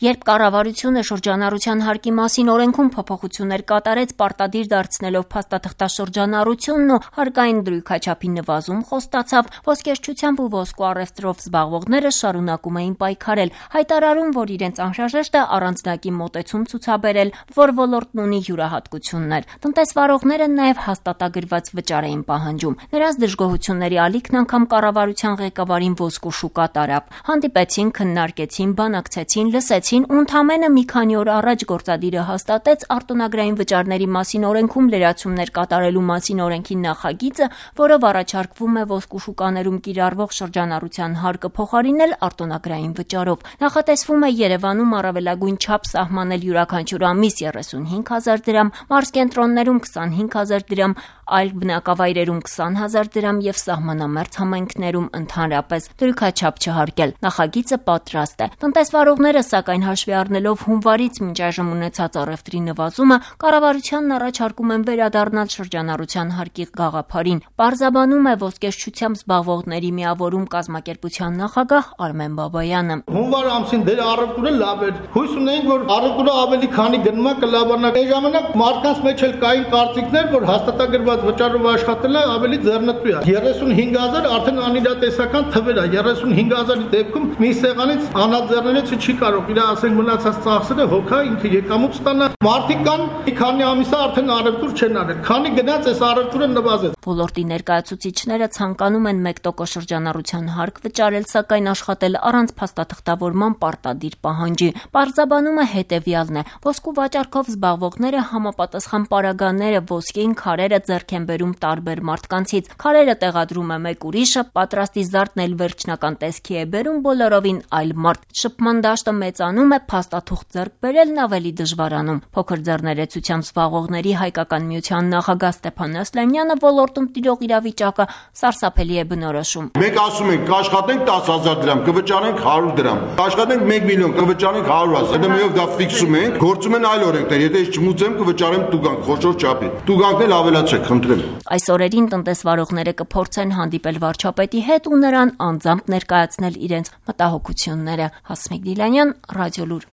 Երբ կառավարությունը շրջանառության հարկի մասին օրենքում փոփոխություններ կատարեց, պարտադիր դարձնելով փաստաթղթաշրջանառությունն ու հարկային դրույքաչափի նվազում խոստացավ, ոսկերչությամբ ու ոսկու առևտրով զբաղվողները շարունակում էին պայքարել, հայտարարում, որ իրենց անհրաժեշտ է առանձնակի մոտեցում ցուցաբերել, որ ոլորտն ունի յուրահատկություններ։ Տնտեսվարողները նաև հաստատագրված վճար էին պահանջում։ Նրանց դժգոհությունների ալիքն անգամ կառավարության ղեկավարին ոսկու շուկա տարավ։ Հանդիպեցին, քննարկեցին, բանակցեցին, լսեցին ու ընդամենը մի քանի օր առաջ գործադիրը հաստատեց արտոնագրային վճարների մասին օրենքում լրացումներ կատարելու մասին օրենքի նախագիծը, որով առաջարկվում է ոսկու շուկաներում կիրառվող շրջանառության հարկը փոխարինել արտոնագրային վճարով։ Նախատեսվում է Երևանում առավելագույն չափ սահմանել յուրաքանչյուր ամիս 35,000 դրամ, մարզկենտրոններում 25,000 դրամ, այլ բնակավայրերում 20,000 դրամ եւ սահմանամերձ համայնքներում ընդհանրապես դրույքաչափ չհարկել։ Նախագիծը պատրաստ է։ Տնտեսվարողները, սակայն հաշվի առնելով հունվարից մինչ այժմ ունեցած առևտրի նվազումը, կառավարությանն առաջարկում են վերադառնալ շրջանառության հարկի գաղափարին։ Պարզաբանում է ոսկերչությամբ զբաղվողների միավորում կազմակերպության նախագահ Արմեն Բաբայանը։ Հունվար ամսին դեր առևտուրը լավ էր։ Հույս ունենք, որ առևտուրը ավելի քանի գնում է կլավանա։ Այն ժամանակ մարդկանց մեջ էլ կային կարծիքներ, որ հաստատագրված վճարով աշխատելը ավելի ձեռնտու է։ 35,000 արդեն անիրատեսական թվեր է։ 35,000-ի դեպքում մի սեղանից անաձեռնելիցը չի կարող իր ասենք մնացած ծախսերը հոգա ինքը եկամուտ ստանա։ Մարդիկ կան մի քանի ամիս արդեն առևտուր չեն արել։ Քանի գնաց այս առևտուրը նվազեց։ Ոլորտի ներկայացուցիչները ցանկանում են 1% շրջանառության հարկ վճարել, սակայն աշխատել առանց փաստաթղթավորման պարտադիր պահանջի։ Պարզաբանումը հետևյալն է. ոսկու վաճառքով զբաղվողները համապատասխան պարագաները, ոսկին քարերը ձեռք են բերում տարբեր մարդկանցից։ Քարերը տեղադրում է մեկ ուրիշը, պատրաստի զարդն էլ վերջնական տեսքի է բերում բոլորովին այլ մարդ։ Շփման դաշտը մեծանում է, փաստաթուղթ ձեռք բերելն ավելի դժվարանում։ Փոքր ձեռներեցությամբ զբաղվողների հայկական միության նախագահ Ստեփան Ասլանյանը ոլորտում տիրող իրավիճակը սարսափելի է բնորոշում։ Մենք ասում ենք կաշխատենք 10,000 դրամ, կվճարենք 100 դրամ, կաշխատենք 1 միլիոն, կվճարենք 100,000։ Հետո մեով դա ֆիքսում ենք, գործում են այլ օրենքներ։ Եթե ես չմուծեմ, կվճարեմ տուգանք, խոշոր չափի։ Տուգանքն էլ ավելացեք, խնդրեմ։ Այս օրերին տնտեսվարողները կփորձեն հանդիպել վարչապետի հետ ու նրան անձամբ ներկայացնել իրենց մտահոգությունները։ Հասմիկ Դիլանյան, Ռադիոլուր։